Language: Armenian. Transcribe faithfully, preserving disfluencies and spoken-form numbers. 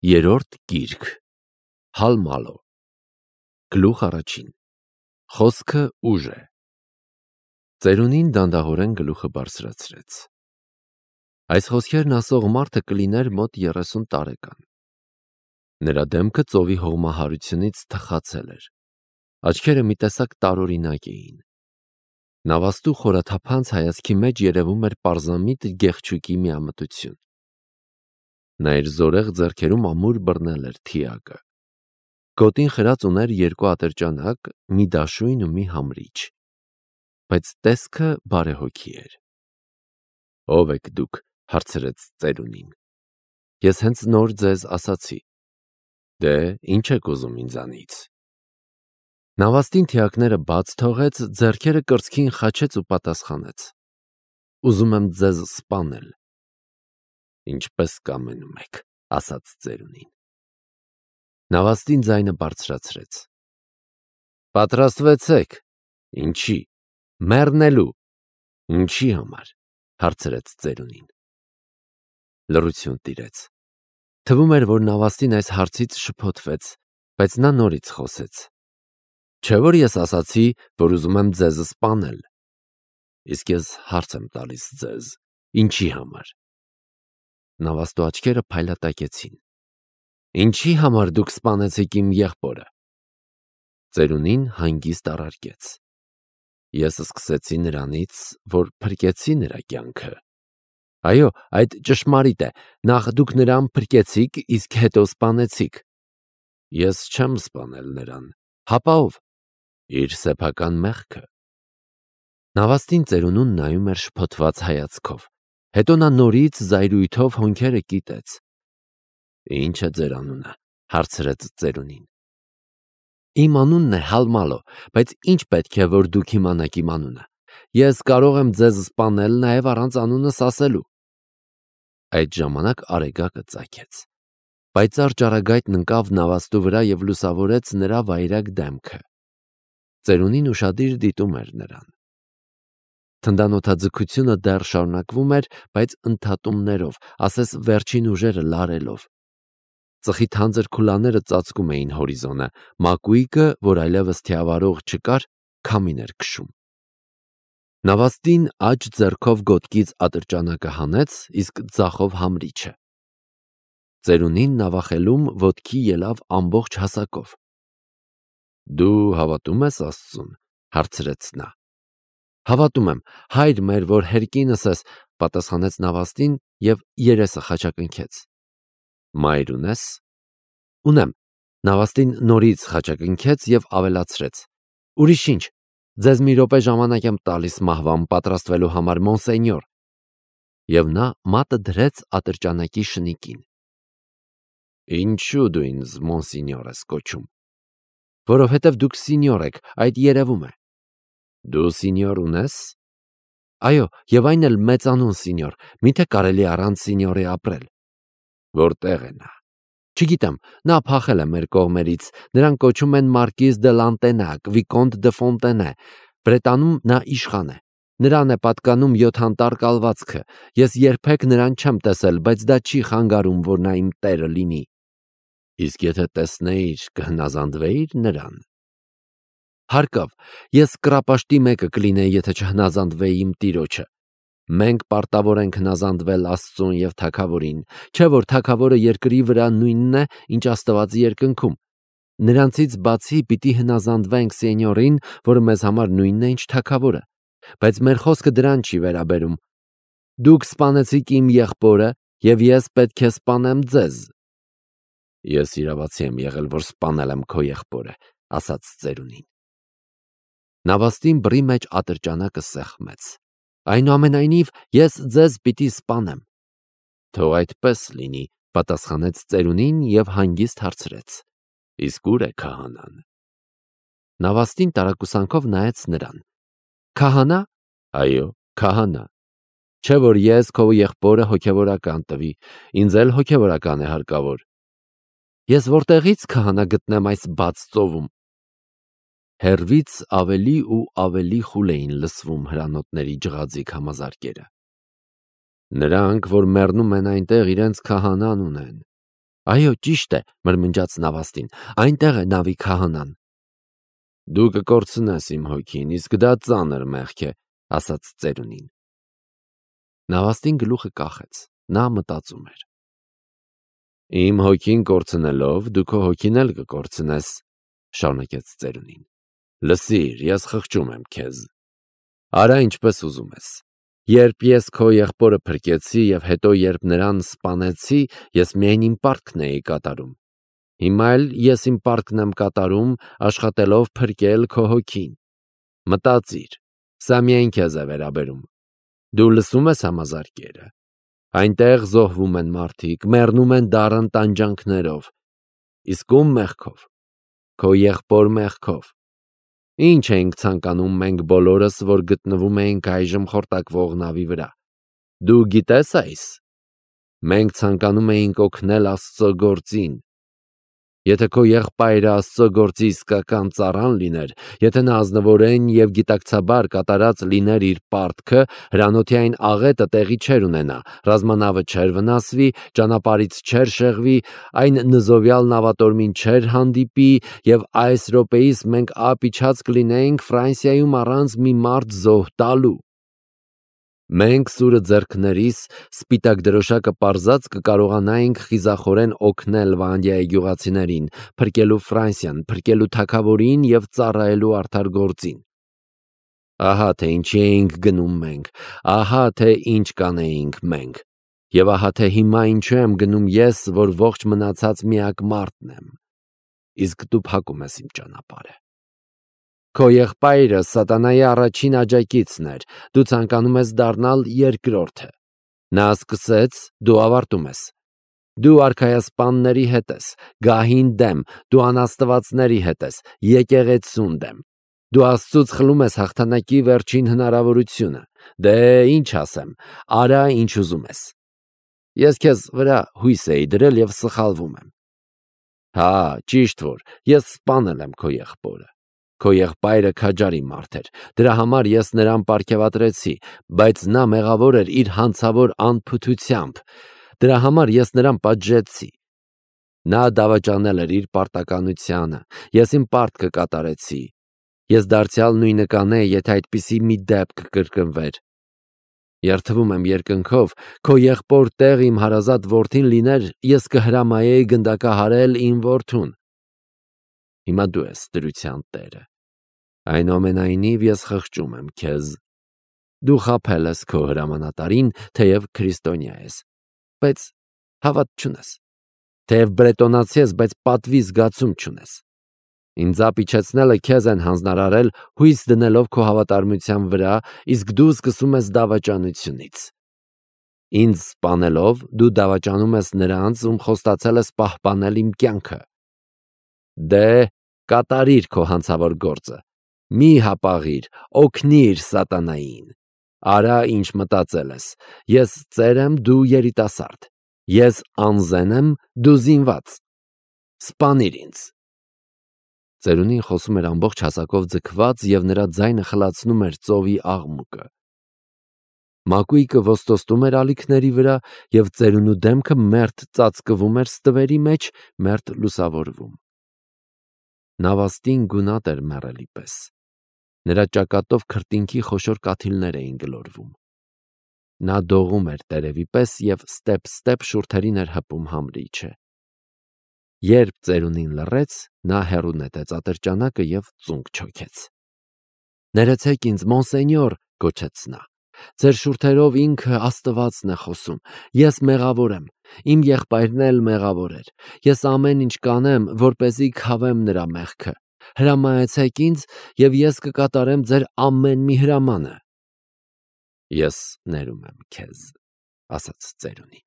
Երրորդ գիրք Հալմալո Գլուխ առաջին Խոսքը ուժ է։ Ծերունին դանդաղորեն գլուխը բարձրացրեց։ Այս խոսքերն ասող մարդը կլիներ մոտ երեսուն տարեկան։ Նրա դեմքը ծովի հողմահարությունից թխացել էր։ Աչքերը մի տեսակ տարօրինակ էին։ Նավաստու խորաթափանց հայացքի մեջ երևում էր պարզամիտ գեղչուկի միամտություն։ Նա իր զորեղ ձեռքերում ամուր բռնել էր թիակը։ Գոտին խրած ուներ երկու ատրճանակ, մի դաշույն ու մի համրիչ, բայց տեսքը բարեհոգի էր։ Ո՞վ եք դուք, հարցրեց ծերունին։ Ես հենց նոր ձեզ ասացի։ Դե, ինչ եք ուզում ինձանից։ Նավաստին թիակները բաց թողեց, ձեռքերը կրծքին խաչեց ու պատասխանեց. Ուզում եմ ձեզ սպանել։ Ինչպես կամենում եք, ասաց ծերունին։ Նավաստին ձայնը բարձրացրեց։ Պատրաստվեցեք։ Ինչի։ Մեռնելու։ Ինչի համար, հարցրեց ծերունին։ Լռություն տիրեց։ Թվում էր, որ նավաստին այս հարցից շփոթվեց, բայց նա նորից խոսեց։ Չէ՞ որ ես ասացի, որ ուզում եմ ձեզ սպանել։ Իսկ ես հարց եմ տալիս ձեզ, ինչի համար։ Նավաստու աչքերը փայլատակեցին։ Ինչի համար դուք սպանեցիք իմ եղբորը։ Ծերունին հանգիստ առարկեց։ Ես սկսեցի նրանից, որ փրկեցի նրա կյանքը։ Այո, այդ ճշմարիտ է, նախ դուք նրան փրկեցիք, իսկ հետո սպանեցիք։ Ես չեմ սպանել նրան, հապա ով։ Իր սեփական մեղքը։ Նավաստին ծերունուն նայում էր շփոթված հայացքով։ Հետո նա նորից զայրույթով հոնքերը կիտեց։ Ինչ է ձեր անունը, հարցրեց ծերունին։ Իմ անունն է Հալմալո, բայց ինչ պետք է, որ դուք իմանաք իմ անունը։ Ես կարող եմ ձեզ սպանել նաև առանց անունս ասելու։ Այդ ժամանակ արեգակը ծագեց։ Պայծառ ճառագայթն ընկավ նավաստու վրա և լուսավորեց նրա վայրագ դեմքը։ Ծերունին ուշադիր դիտում էր նրան։ Թնդանոթաձգությունը դեռ շարունակվում էր, բայց ընդհատումներով, ասես վերջին ուժերը լարելով։ Ծխի թանձր քուլաները ծածկում էին հորիզոնը, մակույկը, որ այլևս թիավարող չկար, քամին էր քշում։ Նավաստին աջ ձեռքով գոտկից ատրճանակը հանեց, իսկ ձախով համրիչը։ Ծերունին նավախելում ոտքի ելավ ամբողջ հասակով։ Դու հավատում ես Աստծուն, հարցրեց նա։ Հավատում եմ, հայր մեր, որ հերկինս ես, պատասխանեց նավաստին և երեսը խաչակնքեց։ Մայր ունես։ Ունեմ։ Նավաստին նորից խաչակնքեց և ավելացրեց. Ուրիշ ինչ, ձեզ մի րոպե ժամանակ եմ տալիս մահվան պատրաստվելու համար, մոնսենյոր։ Եվ նա մատը դրեց ատրճանակի շնիկին։ Ինչու դու ինձ մոնսենյոր ես կոչում։ Որովհետև դուք սինյոր եք, այդ երևում է։ Դու սինյոր ունես։ Այո, և այն էլ մեծանուն սինյոր, միթե կարելի առանց սինյորի ապրել։ Որտեղ է նա։ Չգիտեմ, նա փախել է մեր կողմերից, նրան կոչում են Մարկիզ դե Լանտենակ, Վիկոնտ դե Ֆոնտենե, Բրետանում նա իշխան է։ Նրան է պատկանում յոթ անտառ կալվածքը։ Ես երբեք նրան չեմ տեսել, բայց դա չի խանգարում, որ նա իմ տերը լինի։ Իսկ եթե տեսնեիր, կհնազանդվեիր նրան։ Հարկավ, ես կռապաշտի մեկը կլինեի, եթե չհնազանդվեի իմ տիրոջը։ Մենք պարտավոր ենք հնազանդվել Աստծուն և թագավորին, չէ՞ որ թագավորը երկրի վրա նույնն է, ինչ Աստվածի երկնքում։ Նրանցից բացի պիտի հնազանդվենք սենյորին, որը մեզ համար նույնն է, ինչ թագավորը։ Բայց մեր խոսքը դրան չի վերաբերում։ Դուք սպանեցիք իմ եղբորը, և ես պետք է սպանեմ ձեզ։ Ես իրավացի եմ եղել, որ սպանել եմ քո եղբորը, ասաց ծերունին։ Նավաստին բռի մեջ ատրճանակը սեղմեց։ Այնուամենայնիվ, ես ձեզ պիտի սպանեմ։ Թող այդպես լինի, պատասխանեց ծերունին և հանգիստ հարցրեց. Իսկ ուր է քահանան։ Նավաստին տարակուսանքով նայեց նրան։ Քահանա։ Այո, քահանա։ Չէ՞ որ ես քո եղբորը հոգևորական տվի, ինձ էլ հոգևորական է հարկավոր։ Ես որտեղից քահանա գտնեմ այս բաց ծովում։ Հեռվից ավելի ու ավելի խուլ էին լսվում հրանոթների ջղաձիգ համազարկերը։ Նրանք, որ մեռնում են այնտեղ, իրենց քահանան ունեն։ Այո, ճիշտ է, մրմնջաց Նավաստին, այնտեղ է նավի քահանան։ Դու կկորցնես իմ հոգին, իսկ դա ծանր մեղք է, ասաց ծերունին։ Նավաստին գլուխը կախեց, նա մտածում էր։ Իմ հոգին կորցնելով, դու քո հոգին էլ կկորցնես, շարունակեց ծերունին։ Լսիր, ես խղճում եմ քեզ։ Արա ինչպես ուզում ես։ Երբ ես քո եղբորը փրկեցի և հետո երբ նրան սպանեցի, ես միայն իմ պարտքն էի կատարում։ Հիմա էլ ես իմ պարտքն եմ կատարում, աշխատելով փրկել քո հոգին։ Մտածիր, սա միայն քեզ է վերաբերում։ Դու լսում ես համազարկերը։ Այնտեղ զոհվում են մարդիկ, մեռնում են դառն տանջանքներով։ Իսկ ում մեղքով։ Քո եղբոր մեղքով։ Ինչ ենք ցանկանում մենք բոլորս, որ գտնվում ենք այժմ խորտակվող նավի վրա։ Դու գիտես այս։ Մենք ցանկանում էինք օգնել Աստծո գործին։ Եթե քո եղբայրը Աստծո գործի իսկական ծառան լիներ, եթե նա ազնվորեն և գիտակցաբար կատարած լիներ իր պարտքը, հրանոթի այն աղետը տեղի չէր ունենա, ռազմանավը չէր վնասվի, ճանապարհից չէր շեղվի, այն նզովյալ նավատորմին չէր հանդիպի, և այս րոպեիս մենք ափ իջած կլինեինք Ֆրանսիայում առանց մի մարդ զոհ տալու։ Մենք սուրը ձեռքներիս, սպիտակ դրոշակը պարզած կկարողանայինք խիզախորեն օգնել Վանդյայի գյուղացիներին, փրկելու Ֆրանսիան, փրկելու թագավորին և ծառայելու արդար գործին։ Ահա թե ինչի էինք գնում մենք, ահա թե ինչ կանեինք մենք, և ահա թե հիմա ինչու եմ գնում ես, որ ողջ մնացած միակ մարդն եմ, իսկ դու փակում ես իմ ճանապարհը։ Քո եղբայրը սատանայի առաջին աջակիցն էր, դու ցանկանում ես դառնալ երկրորդը։ Նա սկսեց, դու ավարտում ես։ Դու արքայասպանների հետ ես, գահին դեմ, դու անաստվածների հետ ես, եկեղեցուն դեմ։ Դու Աստծուց խլում ես հաղթանակի վերջին հնարավորությունը։ Դե ինչ ասեմ, արա ինչ ուզում ես։ Ես քեզ վրա հույս էի դրել և սխալվում եմ։ Հա, ճիշտ որ, ես սպանել եմ քո եղբորը։ Քո եղբայրը քաջարի մարդ էր, դրա համար ես նրան պարգևատրեցի, բայց նա մեղավոր էր իր հանցավոր անփութությամբ, դրա համար ես նրան պատժեցի։ Նա դավաճանել էր իր պարտականությանը, ես իմ պարտքը կատարեցի։ Ես դարձյալ նույնը կանեի, եթե այդպիսի մի դեպք կրկնվեր։ Երդվում եմ երկնքով, քո եղբոր տեղ իմ հարազատ որդին լիներ, ես կհրամայեի գնդակահարել իմ որդուն։ Հիմա դու ես դրության տերը։ Այնուամենայնիվ ես խղճում եմ քեզ։ Դու խաբել ես քո հրամանատարին, թեև քրիստոնյա ես, բայց հավատ չունես։ Թեև բրետոնացի ես, բայց պատվի զգացում չունես։ Ինձ ապիչեցնելը քեզ են հանձնարարել, հույս դնելով քո հավատարմության վրա, իսկ դու սկսում ես դավաճանությունից։ Ինձ սպանելով դու դավաճանում ես նրանց, ում խոստացել ես պահպանել իմ կյանքը։ Դե, կատարիր քո հանցավոր գործը։ Մի հապաղիր, օգնիր սատանային։ Արա ինչ մտածել ես։ Ես ծեր եմ, դու երիտասարդ։ Ես անզեն եմ, դու զինված։ Սպանիր ինձ։ Ծերունին խոսում էր ամբողջ հասակով ձգված, և նրա ձայնը խլացնում էր ծովի աղմուկը։ Մակույկը ոստոստում էր ալիքների վրա, և ծերունու դեմքը մերթ ծածկվում էր ստվերի մեջ, մերթ լուսավորվում։ Նավաստին գունատ էր մեռելի պես։ Նրա ճակատով քրտինքի խոշոր կաթիլներ էին գլորվում։ Նա դողում էր տերևի պես և ստեպ-ստեպ շուրթերին էր հպում համրիչը։ Երբ ծերունին լռեց, նա հեռու նետեց ատրճանակը և ծունկ չոքեց։ Ներեցեք ինձ, մոնսենյոր, գոչեց նա։ Ձեր շուրթերով ինքը Աստվածն է խոսում։ Ես մեղավոր եմ, իմ եղբայրն էլ մեղավոր էր։ Ես ամեն ինչ կանեմ, որպեսզի քավեմ նրա մեղքը։ Հրամայեցեք ինձ, և ես կկատարեմ ձեր ամեն մի հրամանը։ Ես ներում եմ քեզ, ասաց ծերունին։